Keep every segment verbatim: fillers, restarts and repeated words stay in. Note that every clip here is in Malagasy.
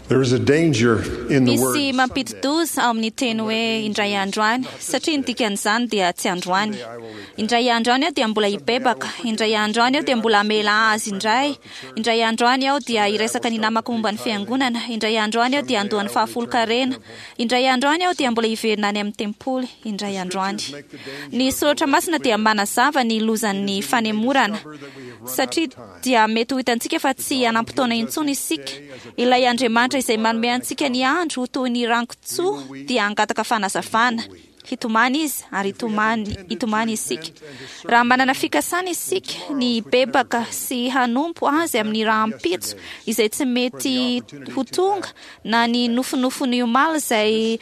There is a danger in the word Misy mampidi-doza ao amin'ny teny hoe indray andro any, satria ny dikan'izany dia tsy androany. Indray andro any aho dia mbola hibebaka, indray andro any aho dia mbola hamela azy indray, indray andro any aho dia hiresaka ny namako momba ny fiangonana, indray andro any aho dia handoa ny fahafolon-karena, indray andro any aho dia mbola hiverina any amin'ny tempoly, indray andro any. Ny soratra masina dia manazava ny lozan'ny fanemorana, satria dia mety ho hitantsika fa tsy hanam-potoana intsony isika. Ilay Andriamanitra izay manome antsika ny andro ho toy ny rankotsoa dia hangataka fanazavana. Hitomany izy ary hitomany, hitomany isika. Raha manana fikasana isika ny hibebaka sy hanompo azy amin'ny rahampitso izay tsy mety ho tonga, na ny nofinofiny omaly izay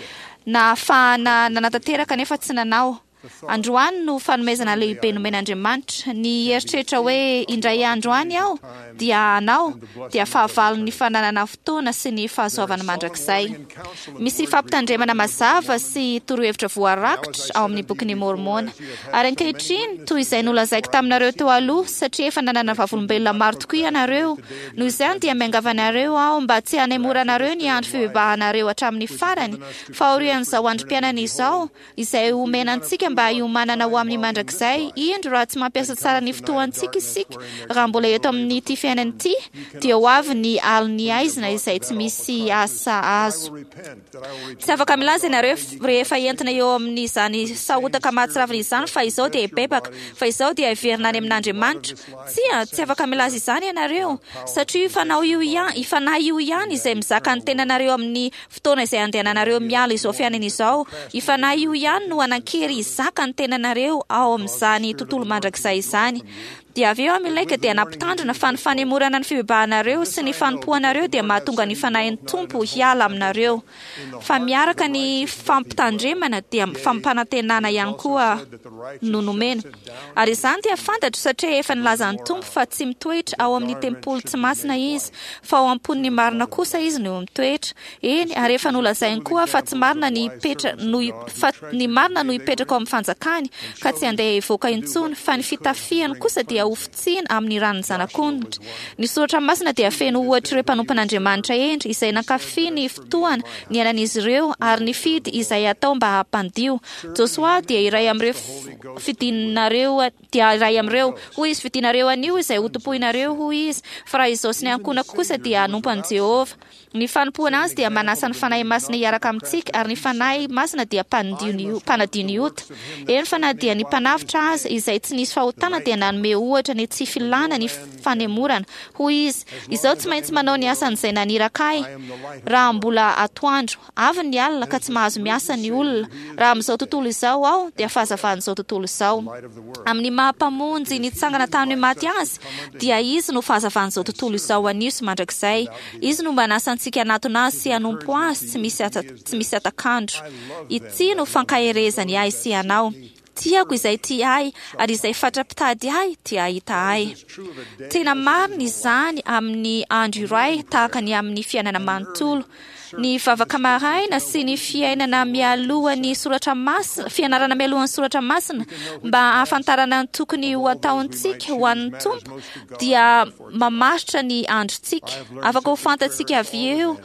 nahafahana nanatanteraka nefa tsy nanao. Androany no fanomezana lehibe nomen'Andriamanitra. Ny eritreritra hoe indray andro any aho dia hanao dia fahavalon'ny fananana fotoana sy ny fahasoavana mandrakizay. Misy fampitandremana mazava sy torohevitra voarakitra ao amin'ny bokin'i Môrmôna. Ary ankehitriny, toy izay nolazaiko taminareo teo aloha, satria efa nanana vavolombelona maro tokoa ianareo, noho izany dia miangavy anareo aho mba tsy hanemoranareo ny andro fibebahanareo hatramin'ny farany, fa aorian'izao androm-piainana izao, izay omena antsika mba hiomanana ho amin'ny mandrakizay. Indro, raha tsy mampiasa tsara ny fotoantsika isika, raha mbola eto amin'ity fiainana ity, dia ho avy ny alin'ny aizina izay tsy misy asa azo. Tsy afaka milaza ianareo rehefa entina eo amin'izany sahotaka mahatsiravina izany fa izao dia hibebaka, fa izao dia hiverina any amin'Andriamanitra. Tsia, tsy afaka milaza izany ianareo, satria io fanao io ihany, io fanahy io ihany izay mizaka ny tenanareo amin'ny fotoana izay andehananareo miala izao fiainana izao. Io fanahy io ihany no hanan-kery hizaka ny tenanareo ao amin'izany tontolo mandrakizay izany. Dia avy eo Amioleka dia nampitandrina fa ny fanemorana ny fibebahanareo sy ny fanompoanareo dia mahatonga ny fanahin'ny Tompo hiala aminareo. Fa miaraka ny fampitandremana dia fampanantenana ihany koa no nomena. Ary izany dia fantatro satria efa nilaza ny Tompo fa tsy mitoetra ao amin'ny tempoly tsy masina izy, fa ao am-pon'ny marina kosa izy no mitoetra. Eny, ary efa nolazainy koa fa tsy marina ny hipetra, no, fa ny marina no hipetraka ao amin'ny fanjakany, ka tsy handeha hivoaka intsony, fa ny fitafiany kosa dia hofotsiana amin'ny ran'ny zanak'ondry. Ny soratra masina dia feno ohatr'ireo mpanompon'Andriamanitra hendry izay nankafy ny fotoana niainan'izy ireo ary nifidy izay atao mba hampandio. Josoa dia iray amin'ireo fidinareo, dia iray amin'ireo. Hoy izy, fidinareo anio izay hotompoinareo, hoy izy, fa raha izao sy ny ankohonako kosa dia hanompo an'i Jehovah. Ny fanompoana azy dia manasa ny Fanahy Masina hiaraka amintsika, ary ny Fanahy Masina dia mpanadio ny, mpanadio ny ota. Eny fa na dia ny mpanavotra aza, izay tsy nisy fahotana, dia nanome ohatra ny tsy filàna ny fanemorana. Hoy izy, Izaho tsy maintsy manao ny asan'izay naniraka ahy, raha mbola atoandro. Avy ny alina ka tsy mahazo miasa ny olona. Raha amin'izao tontolo izao aho, dia fahazavan'izao tontolo izao. Amin'ny maha Mpamonjy nitsangana tamin'ny maty Azy, dia Izy no fahazavan'izao tontolo izao anio sy mandrakizay. Izy no manasa antsika hanatona Azy sy hanompo Azy tsy misy tsy misy hatak'andro. Ity no fankaherezany ahy sy ianao. Tiako izay tia ahy, ary izay fatra-pitady ahy dia hahita ahy. Tena marina izany amin'ny andro iray tahaka ny amin'ny fiainana manontolo. Ny vavaka maraina sy ny fiainana mialohan'ny soratra masina, fianarana mialohan'ny soratra masina mba hahafantarana ny tokony ho ataontsika ho an'ny Tompo dia mamaritra ny androntsika. Afaka ho fantatsika avy eo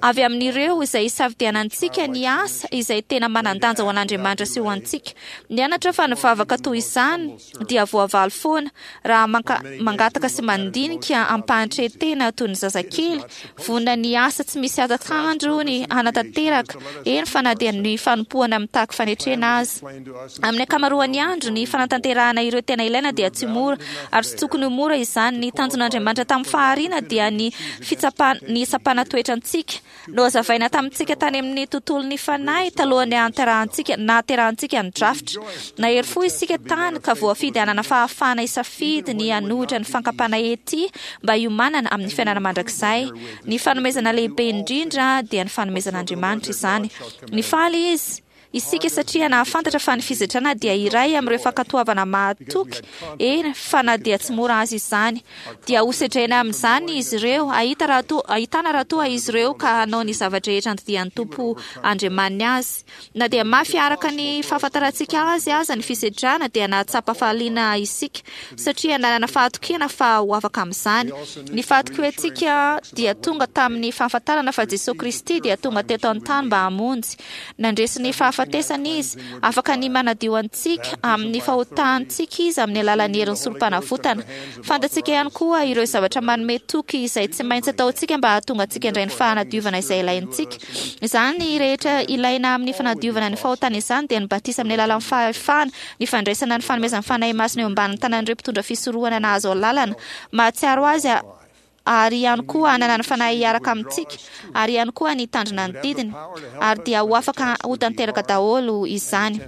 avy amin'ireo izay isafidianantsika ny asa izay tena manan-danja ho an'Andriamanitra sy ho antsika. Nianatra fa ny vavaka toy izany dia voavaly foana raha manka, mangataka sy mandinika ampahan-tretena toy ny zazakely, vonona ny asa tsy misy hatak'andro ny hanatanteraka, eny fa na dia ny fanompoana mitaky fanetrena aza. Amin'ny ankamaroan'ny andro, ny fanatanterahana ireo tena ilaina dia tsy mora, ary tsy tokony ho mora izany. Ny tanjon'Andriamanitra tamin'ny fahariana dia ny fitsapana, ny hitsapana toetra antsika. Nohazavaina tamintsika tany amin'ny tontolon'ny fanahy talohan'ny hahaterahantsika, nahaterahantsika ny drafitra. Nahery fo isika tany ka voafidy hanana fahafahana hisafidy ny hanohitra ny fankam-panahy ety mba hiomanana amin'ny fiainana mandrakizay. Ny fanomezana lehibe indrindra dia ny fanomezan'Andriamanitra izany. Nifaly izy. Isika satria nahafantatra fa ny fisedrana dia iray amin'ireo fankatoavana mahatoky, eny fa na dia tsy mora azy izany. Dia hosedraina amin'izany izy ireo, hahita raha toa, hahitana raha toa izy ireo ka hanao ny zava-drehetra andidian'ny Tompo Andriamaniny azy. Na dia mafy araka ny fahafantarantsika azy aza ny fisedrana, dia nahatsapa fahaliana isika satria nanana fahatokiana fa ho afaka amin'izany. Ny fahatokiantsika dia tonga tamin'ny fahafantarana fa Jesosy Kristy dia tonga teto an-tany mba hamonjy. Nandresy ny fahafatesana izy, afaka ny manadio antsika amin'ny fahotantsika izy amin'ny alalan'ny herin'ny sorom-panavotana. Fantatsika ihany koa ireo zavatra manome toky izay tsy maintsy ataontsika mba hahatonga antsika indray ny fanadiovana izay ilaintsika. Izany rehetra ilaina amin'ny fanadiovana ny fahotana izany dia ny batisa amin'ny alalan'ny fahefana, ny fandraisana ny fanomezan'ny Fanahy Masina eo ambanin'ny tanan'ireo mpitondra fisorohana nahazo alalana, mahatsiaro azy ary ihany koa hanana ny Fanahy hiaraka amintsika, ary ihany koa ny hitandrina ny didiny, ary dia ho afaka ho tanteraka daholo izany.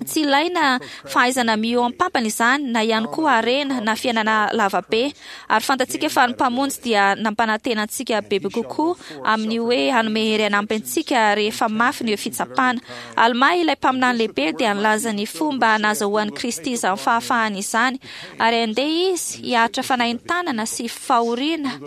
Tsy ilaina fahaizana mihoam-pampana izany, na ihany koa harena na fiainana lavabe, ary fantatsika fa ny Mpamonjy dia nampanantena antsika bebe kokoa amin'ny hoe hanome hery hanampy antsika rehefa mafy ny fitsapana. Alma ilay mpaminany lehibe dia nilaza ny fomba nahazoan'i Kristy izany fahafahana izany, ary andeha izy hiaritra fanaintanana sy fahoriana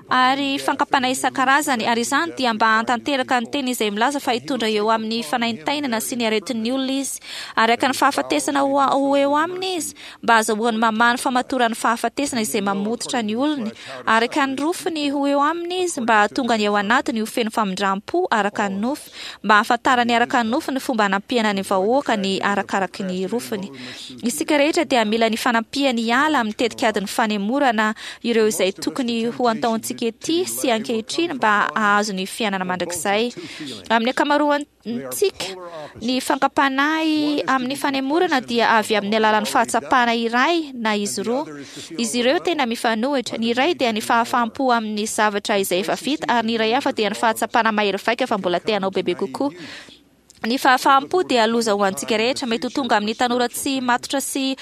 ary fankapana isan-karazany, ary izany dia mba hahatanteraka ny teny izay milaza fa hitondra eo amin'ny fanaintainana sy ny aretin'ny olona izy, araka ny fahafatesana ho ho eo aminy izy, mba hahazoany mamaha ny famatoran'ny fahafatesana izay mamototra ny olony, araka ny rofiny ho eo aminy izy, mba hahatonga ny ao anatiny ho feno famindram-po araka ny nofo, mba hahafantarany araka ny nofo ny fomba hanampiana ny vahoaka ny arakaraky ny rofiny. Isika rehetra dia mila ny fanampiany hiala amin'ny tetikadin'ny fanemorana ireo izay tokony ho antaontsika ety sy ankehitriny mba hahazo ny fiainana mandrakizay. Amin'ny ankamaroantsika, ny fankam-panahy amin'ny fanemorana dia avy amin'ny alalan'ny fahatsapana iray na izy roa. Izy ireo tena mifanohitra. Ny iray dia ny fahafaham-po amin'ny zavatra izay efa vita, ary ny iray hafa dia ny fahatsapana mahery vaika fa mbola te hanao bebe kokoa. Ny fahafaham-po dia loza ho antsika rehetra. Mety ho tonga amin'ny tanora tsy matotra sy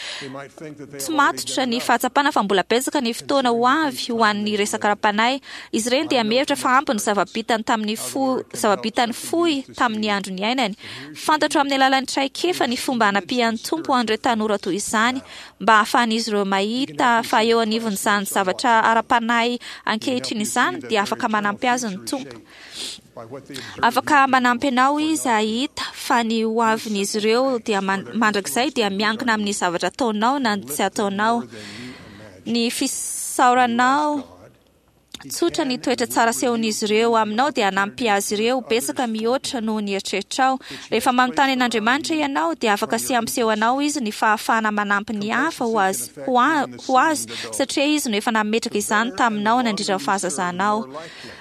tsy matotra ny fahatsapana fa mbola betsaka ny fotoana ho avy ho an'ny resaka ara-panahy. Izy ireny dia mihevitra fa ampy ny zava-bitany tamin'ny fo, zava-bitany fohy tamin'ny andro niainany. Fantatro amin'ny alalan'ny traikefa ny fomba hanampian'ny Tompo an'ireo tanora toy izany, mba hahafahan'izy ireo mahita fa eo anivon'izany zavatra ara-panahy ankehitriny izany dia afaka manampy azy ny Tompo. Afaka manampy anao izy hahita fa ny ho avin'izy ireo dia mandrakizay dia miankina amin'ny zavatra ataonao na ny tsy ataonao. Ny fisaoranao tsotra ny toetra tsara asehon'izy ireo aminao dia hanampy azy ireo betsaka mihoatra noho ny eritreritrao. Rehefa manontany an'Andriamanitra ianao dia afaka sy hampiseho anao izy ny fahafahana manampy ny hafa ho azy, ho a, ho azy, satria izy no efa nametraka izany taminao nandritra ny fahazazanao.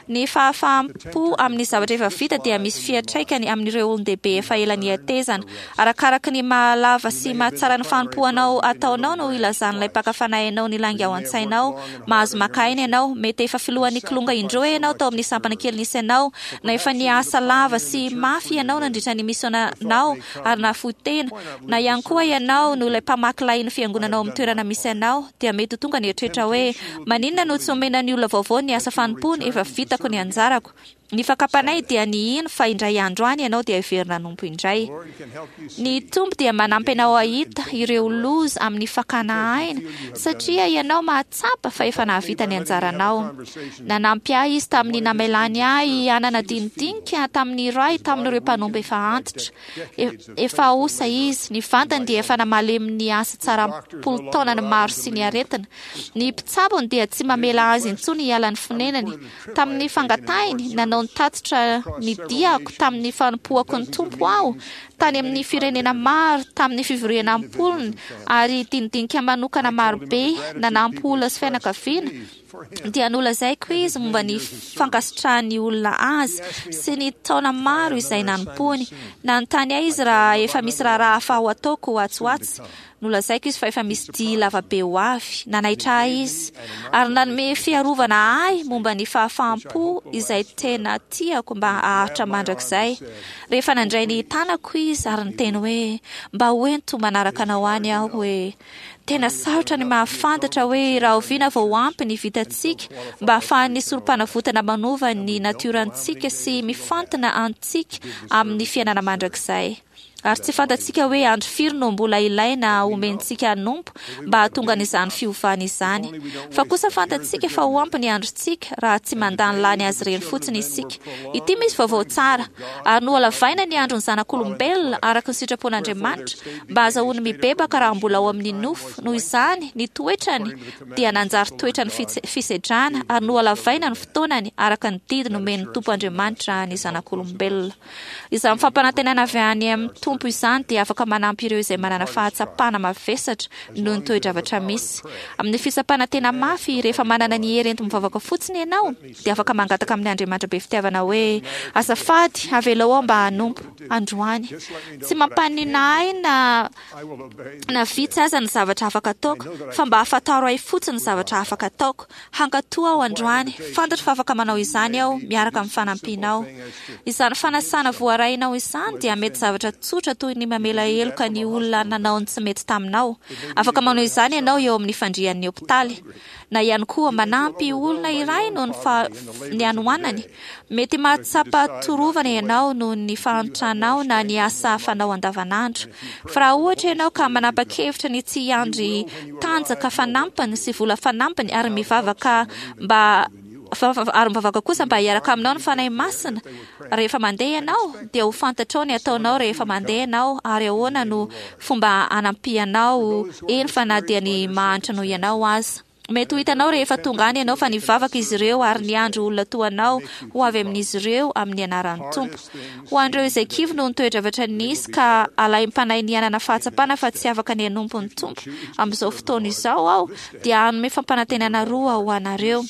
Ny fahafaham-po amin'ny zavatra efa vita dia misy fiantraikany amin'ireo olon-dehibe efa ela nihetezana. Arakaraka ny mahalava sy mahatsara ny fanompoanao ataonao no ilazan'ilay mpaka fanahy anao ny lainga ao an-tsainao. Mahazo maka aina ianao. Mety efa filohan'ny kilonga indroa ianao tao amin'ny sampana kely nisy anao, na efa niasa lava sy mafy ianao nandritra ny misionanao ary nahafoy tena, na ihany koa ianao no ilay mpamaky lahin'ny fiangonana ao amin'ny toerana misy anao, dia mety ho tonga ny eritreritra hoe, maninona no tsy omena ny olona vaovao ny asa fanompoana, efa vitako ny anjarako. Ny fakam-panahy dia ny hino fa indray andro any ianao dia hiverina hanompo indray. Ny Tompo dia manampy anao hahita ireo loza amin'ny fakana aina, satria ianao mahatsapa fa efa nahavita ny anjaranao. Nanampy ahy Izy tamin'ny namelany ahy hanana dinidinika tamin'ny iray tamin'ireo mpanompo efa antitra. Efa osa izy, ny vantany dia efa namalemy ny asa tsara am-polo taonany maro sy ny aretina. Ny mpitsabony dia tsy mamela azy intsony hiala ny fonenany. Tamin'ny fangatahiny, nanao ny tatitra ny diako tamin'ny fanompoako ny Tompo aho, tany amin'ny firenena maro, tamin'ny fivoriana am-polony, ary dinidinika manokana marobe, nanampy olona sy fianakaviana, dia nolazaiko izy momba ny fankasitrahan'ny olona azy sy ny taona maro izay nanompoany. Nanontany ahy izy raha efa misy raharaha hafa ho ataoko atsy ho atsy. Nolazaiko izy fa efa misy dihy lavabe ho avy. Nanaitra ahy izy ary nanome fiarovana ahy momba ny fahafaham-po izay tena tiako mba haharitra mandrakizay. Rehefa nandray ny tanako izy ary niteny hoe, Mba hoento manaraka anao any aho hoe. Tena sarotra ny mahafantatra hoe rahoviana vao ampy ny vitantsika mba hahafahan'ny sorom-panavotana manova ny natiorantsika sy mifantina antsika amin'ny fiainana mandrakizay. Ary tsy fantatsika hoe andro firy no mbola ilaina omentsika hanompo mba hahatonga an'izany fiovana izany. Fa kosa fantatsika fa ho ampy ny androntsika raha tsy mandany lany azy ireny fotsiny isika. Ity misy vaovao tsara. Ary nohalavaina ny andron'ny zanak'olombelona araka ny sitrapon'Andriamanitra mba hahazoany mibebaka raha mbola ao amin'ny nofo. Noho izany, ny toetrany dia nanjary toetran'ny fisedrana ary nohalavaina ny fotoanany araka ny didy nomen'ny Tompo Andriamanitra ny zanak'olombelona. Izany fampanantenana avy any amin'ny Tompo izany dia afaka manampy ireo izay manana fahatsapana mavesatra noho ny toe-javatra misy. Amin'ny fitsapana tena mafy, rehefa manana ny hery enti-mivavaka fotsiny ianao, dia afaka mangataka amin'ny Andriamanitra be fitiavana hoe, azafady, avelao aho mba hanompo androany. Tsy mampaninona ahy na na vitsy aza ny zavatra afaka ataoko, fa mba ahafantaro ahy fotsiny ny zavatra afaka ataoko. Hankatò aho androany. Fantatro fa afaka manao izany aho, miaraka amin'ny fanampianao. Izany fanasana voarainao izany dia mety zavatra tsotra toy ny mamela heloka ny olona nanao ny tsy mety taminao. Afaka manao izany ianao eo amin'ny fandrian'ny hopitaly. Na ihany koa manampy olona iray noho ny fa ny hanoanany. Mety mahatsapa torovana ianao noho ny fahantranao na ny asa fanao andavanandro. Fa raha ohatra ianao ka manapa-kevitra ny tsy hiandry tanjaka fanampiny sy vola fanampiny ary mivavaka mba ary mivavaka kosa mba hiaraka aminao ny Fanahy Masina rehefa mandeha ianao, dia ho fantatrao ny ataonao rehefa mandeha ianao ary ahoana no fomba hanampianao, eny fa na dia ny mahantra noho ianao aza. Mety ho hitanao rehefa tonga any ianao fa nivavaka izy ireo ary niandry olona toa anao ho avy amin'izy ireo amin'ny anaran'ny Tompo. Ho an'ireo izay kivy noho ny toe-javatra nisy ka alaim-panahy niainana fahatsapana fa tsy afaka ny hanompo ny Tompo amin'izao fotoana izao aho, dia hanome fampanantenana roa ho anareo.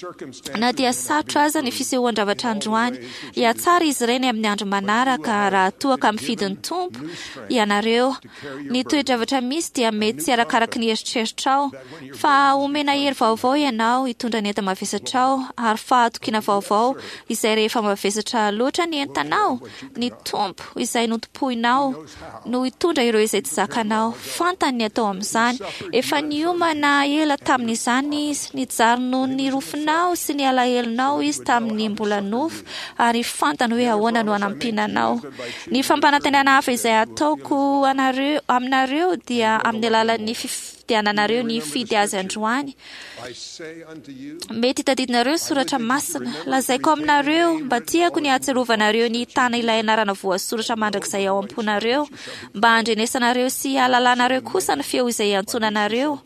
Na dia sarotra aza ny fisehoan-javatra androany, hihatsara izy ireny amin'ny andro manaraka raha toa ka mifidy ny Tompo ianareo. Ny toe-javatra misy dia mety tsy arakaraky ny eritreritrao, fa homena hery vaovao ianao hitondra ny enta-mavesatrao ary fahatokiana vaovao izay rehefa mavesatra loatra ny entanao, ny Tompo izay notompoinao no hitondra ireo izay tsy zakanao. Fantany ny atao amin'izany. Efa niomana ela tamin'izany izy. Nijaly noho ny rofinao sy ny alahelonao izy tamin'ny mbola nofo ary fantany hoe ahoana no hanampiana anao. Ny fampanantenana hafa izay ataoko anareo aminareo dia amin'ny alalan'ny fifidiananareo ny hifidy azy androany. Mety tadidinareo ny soratra masina. Lazaiko aminareo, mba tiako ny hahatsiarovanareo ny hitana ilay anarana voasoratra mandrakizay ao am-ponareo, mba handrenesanareo sy hahalalanareo kosa ny feo izay iantsoana anareo,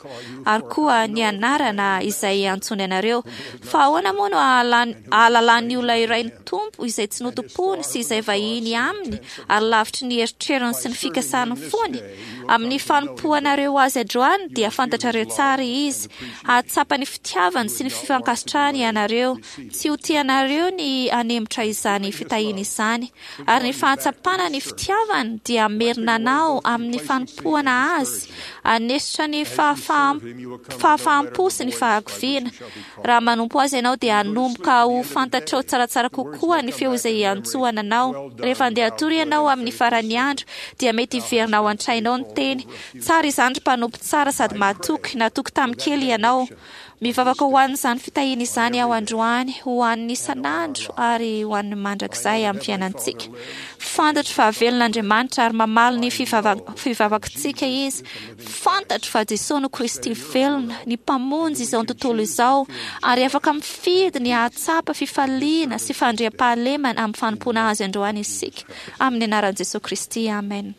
ary koa ny anarana izay iantsoany anareo. Fa ahoana moa no ahalalan'ny olona iray ny Tompo izay tsy notompoiny sy izay vahiny aminy ary lavitry ny eritreriny sy ny fikasan'ny fony? Amin'ny fanompoanareo azy androany dia fantatrareo tsara izy. Hahatsapa ny fitiavany sy ny fifankasitrahany ianareo. Tsy ho tianareo ny hanemotra izany fitahiana izany. Ary ny fahatsapana ny fitiavany dia hamerina anao amin'ny fanompoana azy, hanesotra ny fahafaham-po sy ny fahakiviana. Raha manompo azy ianao dia hanomboka ho fantatrao tsaratsara kokoa ny feo izay iantsoana anao. Rehefa handeha hatory ianao amin'ny faran'ny andro dia mety hiverina ao an-tsainao ny teny. Tsara izany ry mpanompo tsara sady mahatoky, natoky tamin'ny kely ianao. Mivavaka ho an'izany fitahiana izany aho androany, ho an'ny isan'andro ary ho an'ny mandrakizay amin'ny fiainantsika. Fantatro fa velona Andriamanitra ary mamaly ny fivavakitsika Izy. Fantatro fa Jesoa no Kristy velona, ny Mpamonjy izao tontolo izao, ary afaka mifidy ny hahatsapa fifaliana sy fandriampahalemana amin'ny fanompoana Azy androany isika. Amin'ny anaran'i Jesoa Kristy, amen.